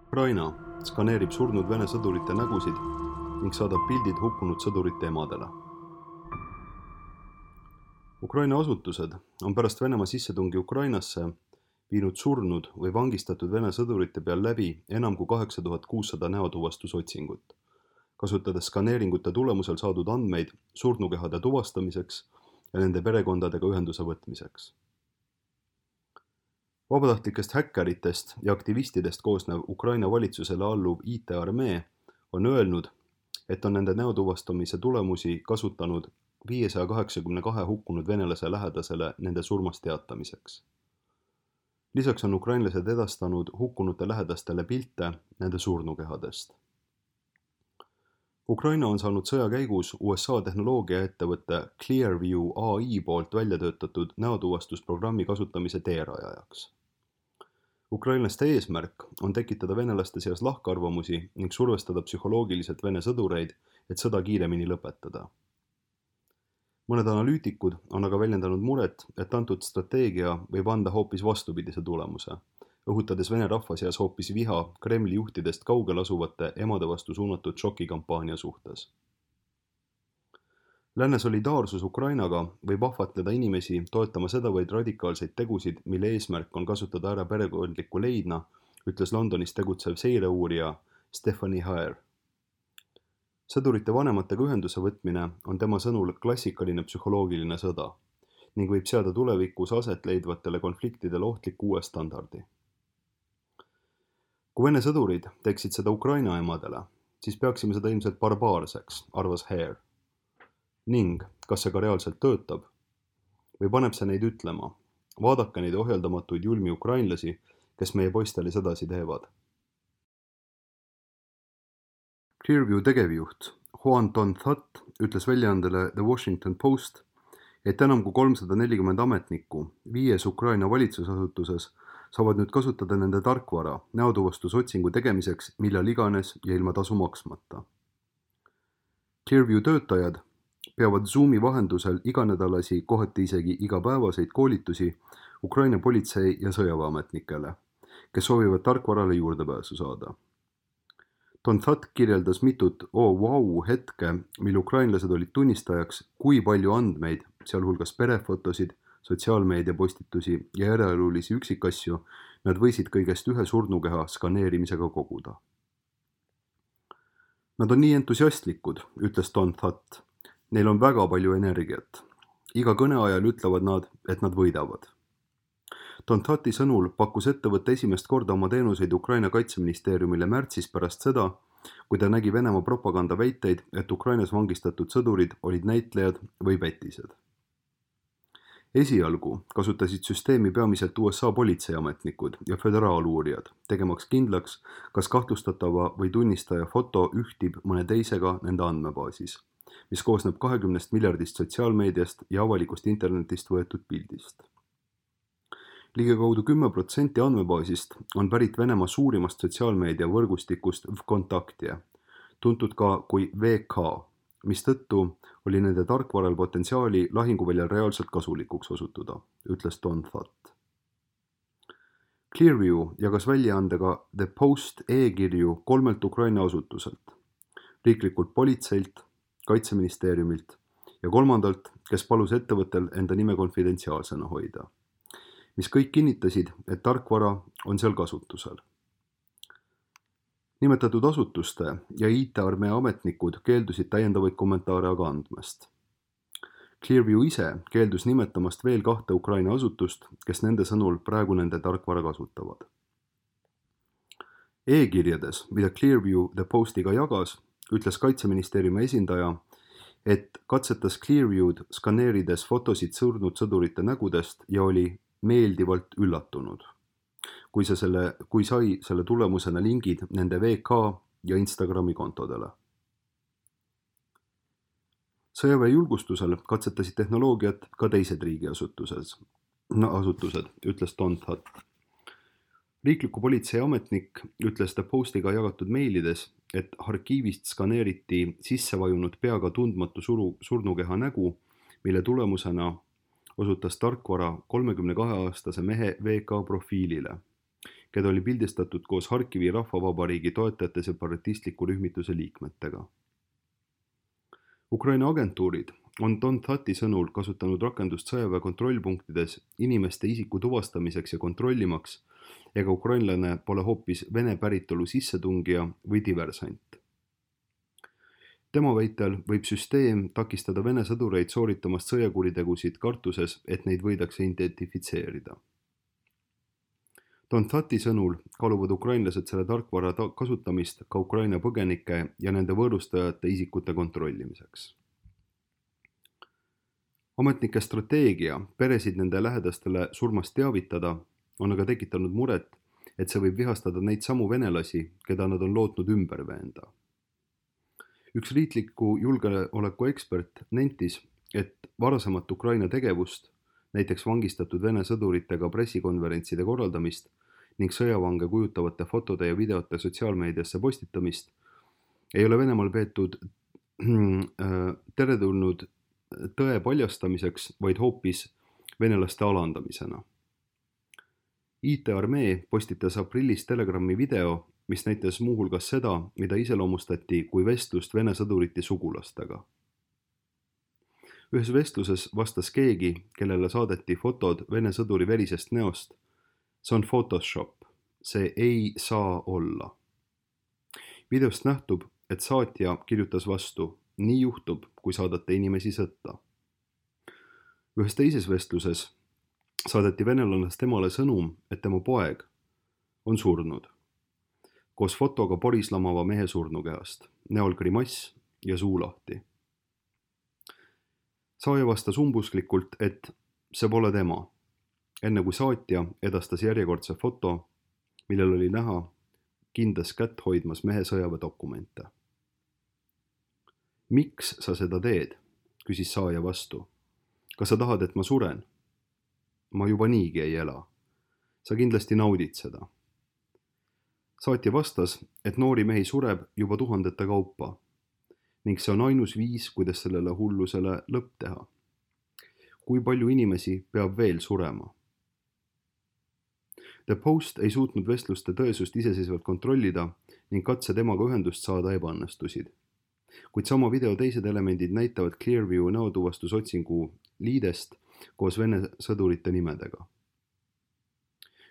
Ukraina skaneerib surnud Vene sõdurite nägusid ning saadab pildid hukkunud sõdurite emadele. Ukraina asutused on pärast Venemaa sissetungi Ukrainasse viinud surnud või vangistatud Vene sõdurite peal läbi enam kui 8600 näotuvastusotsingut, kasutades skaneeringute tulemusel saadud andmeid surnukehade tuvastamiseks ja nende perekondadega ühenduse võtmiseks. Vabatahtlikest häkkeritest ja aktivistidest koosnev Ukraina valitsusele alluv IT-armee on öelnud, et on nende näotuvastamise tulemusi kasutanud 582 hukkunud venelase lähedasele nende surmast teatamiseks. Lisaks on ukrainlased edastanud hukkunute lähedastele pilte nende surnukehadest. Ukraina on saanud sõja käigus USA tehnoloogiaettevõtte Clearview AI poolt välja töötatud näotuvastusprogrammi kasutamise teerajajaks. Ukrainlaste eesmärk on tekitada venelaste seas lahkarvamusi ning survestada psühholoogiliselt Vene sõdureid, et sõda kiiremini lõpetada. Mõned analüütikud on aga väljendanud muret, et antud strateegia võib anda hoopis vastupidise tulemuse, õhutades Vene rahva seas hoopis viha Kremli juhtidest kaugel asuvate emade vastu suunatud šokikampaania suhtes. Lääne solidaarsus Ukrainaga võib ahvatleda inimesi toetama sedavõrd radikaalseid tegusid, mille eesmärk on kasutada ära perekondlikku leidna, ütles Londonis tegutsev seireuurija Stephanie Haer. Sõdurite vanematega ühenduse võtmine on tema sõnul klassikaline psühholoogiline sõda ning võib seada tulevikus aset leidvatele konfliktidele ohtliku uue standardi. Kui Vene sõdurid teeksid seda Ukraina emadele, siis peaksime seda ilmselt barbaarseks, arvas Haer. Ning, kas see ka reaalselt töötab? Või paneb see neid ütlema, vaadake neid ohjeldamatuid julmi ukrainlasi, kes meie poistele sedasi teevad. Clearview tegevjuht Juan Ton-That ütles väljaandele The Washington Post, et enam kui 340 ametnikku 5 Ukraina valitsusasutuses saavad nüüd kasutada nende tarkvara näotuvastusotsingu tegemiseks millal iganes ja ilma tasu maksmata. Clearview töötajad peavad Zoomi vahendusel iganädalasi, kohati isegi igapäevaseid koolitusi Ukraina politsei- ja sõjaväeametnikele, kes soovivad tarkvarale juurdepääsu saada. Ton-That kirjeldas mitut hetke, mil ukrainlased olid tunnistajaks, kui palju andmeid, sealhulgas perefotosid, sotsiaalmeediapostitusi ja eraelulisi üksikasju, nad võisid kõigest ühe surnukeha skaneerimisega koguda. Nad on nii entusiastlikud, ütles Ton-That. Neil on väga palju energiat. Iga kõne ajal ütlevad nad, et nad võidavad. Ton-Thati sõnul pakkus ettevõtte esimest korda oma teenuseid Ukraina kaitseministeeriumile märtsis pärast seda, kui ta nägi Venemaa propaganda väiteid, et Ukrainas vangistatud sõdurid olid näitlejad või pätised. Esialgu kasutasid süsteemi peamiselt USA politseiametnikud ja föderaaluurijad, tegemaks kindlaks, kas kahtlustatava või tunnistaja foto ühtib mõne teisega nende andmebaasis, mis koosneb 20 miljardist sotsiaalmeediast ja avalikust internetist võetud pildist. Ligikaudu 10% andmebaasist on pärit Venemaa suurimast sotsiaalmeedia võrgustikust VKontakte, tuntud ka kui VK, mistõttu oli nende tarkvaral potentsiaali lahinguväljal reaalselt kasulikuks osutuda, ütles Ton-That. Clearview jagas väljaandega The Post e-kirju 3 Ukraina asutuselt, riiklikult politseilt, kaitseministeeriumilt ja 3, kes palus ettevõttel enda nime konfidentsiaalsena hoida, mis kõik kinnitasid, et tarkvara on seal kasutusel. Nimetatud asutuste ja IT-armee ametnikud keeldusid täiendavaid kommentaare aga andmast. Clearview ise keeldus nimetamast veel 2 Ukraina asutust, kes nende sõnul praegu nende tarkvara kasutavad. E-kirjades, mida Clearview The Postiga jagas, ütles kaitseministeeriumi esindaja, et katsetas Clearview'd skaneerides fotosid surnud sõdurite nägudest ja oli meeldivalt üllatunud, kui sai selle tulemusena lingid nende VK ja Instagrami kontodele. Sõjaväe julgustusel katsetasid tehnoloogiat ka teised riigiasutused, ütles Ton-That. Riikliku politsei ametnik ütles The Postiga jagatud meilides, et arkiivist skaneeriti sissevajunud peaga tundmatu surnukeha nägu, mille tulemusena osutas tarkvara 32-aastase mehe VK profiilile keda oli pildistatud koos Harkivi rahvavabariigi toetajate separatistliku rühmituse liikmetega. Ukraina agentuurid on Don Thati sõnul kasutanud rakendust sõjaväe kontrollpunktides inimeste isiku tuvastamiseks ja kontrollimaks, ega ukrainlane pole hoopis Vene päritolu sissetungija või diversant. Tema väitel võib süsteem takistada Vene sõdureid sooritamast sõjakuritegusid kartuses, et neid võidakse identifitseerida. Don Thati sõnul kaaluvad ukrainlased selle tarkvara kasutamist ka Ukraina põgenike ja nende võõrustajate isikute kontrollimiseks. Ametnike strateegia peresid nende lähedastele surmast teavitada on aga tekitanud muret, et see võib vihastada neid samu venelasi, keda nad on lootnud ümber veenda. Üks riikliku julgeoleku ekspert nentis, et varasemat Ukraina tegevust, näiteks vangistatud Vene sõduritega pressikonverentside korraldamist ning sõjavange kujutavate fotode ja videote sotsiaalmeediasse postitamist, ei ole Venemaal peetud teretulnud tõe paljastamiseks, vaid hoopis venelaste alandamisena. IT-armee postitas aprillis Telegrami video, mis näitas muuhulgas seda, mida iseloomustati kui vestlust Vene sõdurite sugulastega. Ühes vestluses vastas keegi, kellele saadeti fotod Vene sõduri verisest näost: see on Photoshop, see ei saa olla. Videost nähtub, et saatja kirjutas vastu: nii juhtub, kui saadate inimesi sõtta. Ühes teises vestluses saadeti venelannast temale sõnum, et tema poeg on surnud, koos fotoga porislamava mehe surnukehast, näol grimass ja suu lahti. Saaja vastas umbusklikult, et see pole tema, enne kui saatja edastas järjekordse foto, millel oli näha kindas kätt hoidmas mehe sõjaväedokumente. Miks sa seda teed? Küsis saaja vastu. Kas sa tahad, et ma suren? Ma juba niigi ei ela. Sa kindlasti naudid seda. Saatja vastas, et noori mehi sureb juba tuhandete kaupa ning see on ainus viis, kuidas sellele hullusele lõpp teha. Kui palju inimesi peab veel surema? The Post ei suutnud vestluste tõesust iseseisvalt kontrollida ning katse temaga ühendust saada ebaõnnestusid. Kuid sama video teised elemendid näitavad Clearview näotuvastusotsingu liidest koos Vene sõdurite nimedega.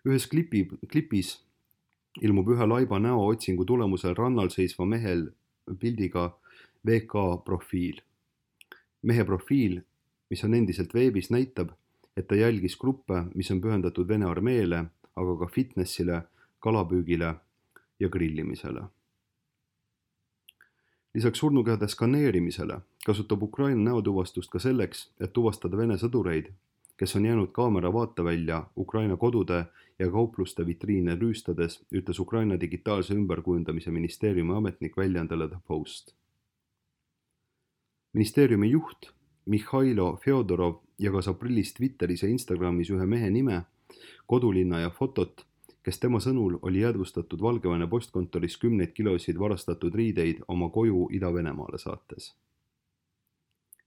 Ühes klipis ilmub ühe laiba näootsingu tulemusel rannal seisva mehel pildiga VK profiil. Mehe profiil, mis on endiselt veebis, näitab, et ta jälgis gruppe, mis on pühendatud Vene armeele, aga ka fitnessile, kalapüügile ja grillimisele. Lisaks surnukehade skaneerimisele kasutab Ukraina näotuvastust ka selleks, et tuvastada Vene sõdureid, kes on jäänud kaamera vaatevälja Ukraina kodude ja kaupluste vitriine rüüstades, ütles Ukraina digitaalse ümberkujundamise ministeeriumi ametnik väljaandele The Post. Ministeeriumi juht Mihhailo Fjodorov jagas aprillis Twitteris ja Instagramis ühe mehe nime, kodulinna ja fotot, kes tema sõnul oli jäädvustatud Valgevene postkontoris 10 kilosid varastatud riideid oma koju Ida-Venemaale saates.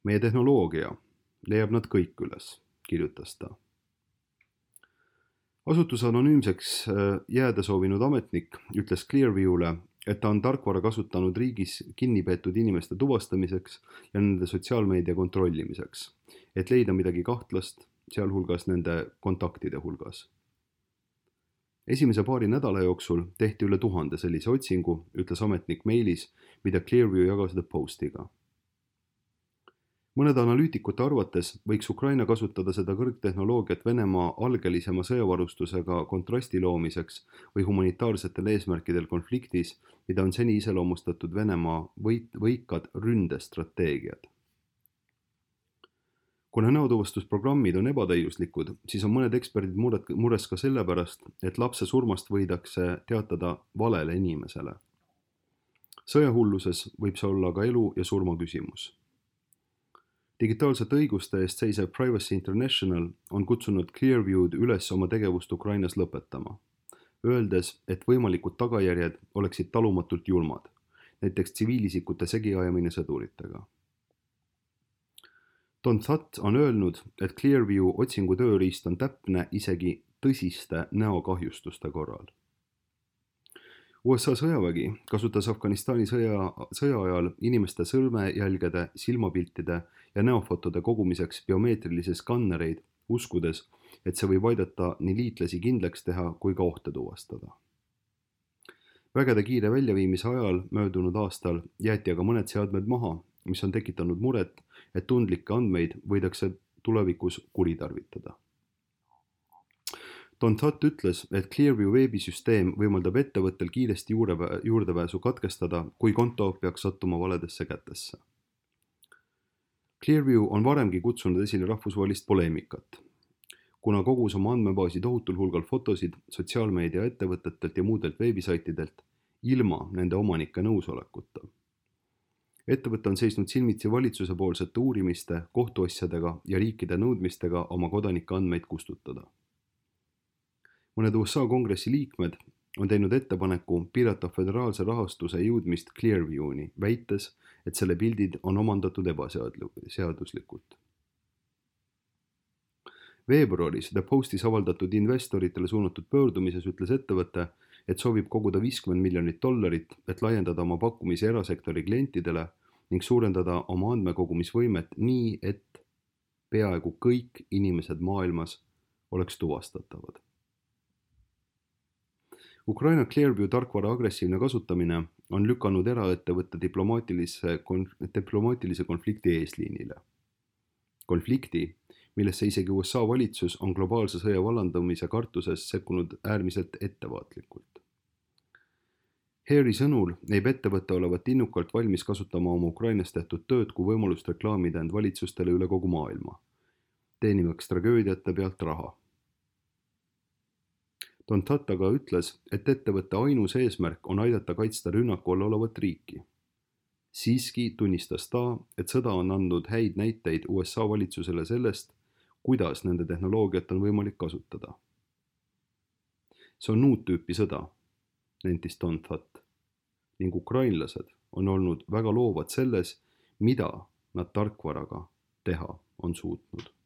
Meie tehnoloogia leiab nad kõik üles, kirjutas ta. Asutuse anonüümseks jääda soovinud ametnik ütles Clearview'le, et ta on tarkvara kasutanud riigis kinnipeetud inimeste tuvastamiseks ja nende sotsiaalmeedia kontrollimiseks, et leida midagi kahtlast, sealhulgas nende kontaktide hulgas. Esimese paari nädala jooksul tehti üle 1000 sellise otsingu, ütles ametnik meilis, mida Clearview jagas The Postiga. Mõnede analüütikute arvates võiks Ukraina kasutada seda kõrgtehnoloogiat Venemaa algelisema sõjavarustusega kontrasti loomiseks või humanitaarsetel eesmärkidel konfliktis, mida on seni iseloomustatud Venemaa võikad ründestrateegiad. Kuna näotuvastusprogrammid on ebatäiuslikud, siis on mõned eksperdid mures ka sellepärast, et lapse surmast võidakse teatada valele inimesele. Sõjahulluses võib see olla ka elu ja surma küsimus. Digitaalsete õiguste eest seisev Privacy International on kutsunud Clearview'd üles oma tegevust Ukrainas lõpetama, öeldes, et võimalikud tagajärjed oleksid talumatult julmad, näiteks tsiviilisikute segiajamine sõduritega. Don That on öelnud, et Clearview otsingu tööriist on täpne isegi tõsiste näokahjustuste korral. USA sõjavägi kasutas Afganistani sõja ajal inimeste sõrmejälgede, silmapiltide ja näofotode kogumiseks biomeetrilisi skannereid, uskudes, et see võib aidata nii liitlasi kindlaks teha kui ka ohte tuvastada. Vägede kiire väljaviimise ajal möödunud aastal jäeti aga mõned seadmed maha, mis on tekitanud muret, et tundlikke andmeid võidakse tulevikus kuritarvitada. Don Tutt ütles, et Clearview veebisüsteem võimaldab ettevõttel kiiresti juurdepääsu katkestada, kui konto peaks sattuma valedesse kätesse. Clearview on varemgi kutsunud esile rahvusvahelist poleemikat, kuna kogus oma andmebaasi tohutul hulgal fotosid sotsiaalmeedia ettevõtetelt ja muudelt veebisaitidelt ilma nende omanike nõusolekuta. Ettevõte on seisnud silmitsi valitsuse poolsete uurimiste, kohtuasjadega ja riikide nõudmistega oma kodanike andmeid kustutada. Mõned USA kongressi liikmed on teinud ettepaneku piirata föderaalse rahastuse jõudmist Clearview'ni, väites, et selle pildid on omandatud ebaseaduslikult. Veebruaris The Postis avaldatud investoritele suunatud pöördumises ütles ettevõte, et soovib koguda $50 miljonit, et laiendada oma pakkumisi erasektori klientidele ning suurendada oma andmekogumisvõimet nii, et peaaegu kõik inimesed maailmas oleks tuvastatavad. Ukraina Clearview tarkvara agressiivne kasutamine on lükanud eraettevõtte diplomaatilise konflikti eesliinile. Konflikti, millesse isegi USA valitsus on globaalse sõja vallandamise kartuses sekkunud äärmiselt ettevaatlikult. Harry sõnul näib ettevõte olevat innukalt valmis kasutama oma Ukrainas tehtud tööd kui võimalust reklaamida end valitsustele üle kogu maailma, teenimaks tragöödiate pealt raha. Don Tutt aga ütles, et ettevõtte ainus eesmärk on aidata kaitsta rünnaku all olevat riiki. Siiski tunnistas ta, et sõda on andnud häid näiteid USA valitsusele sellest, kuidas nende tehnoloogiat on võimalik kasutada. See on uut tüüpi sõda, nentis Don Tutt, ning ukrainlased on olnud väga loovad selles, mida nad tarkvaraga teha on suutnud.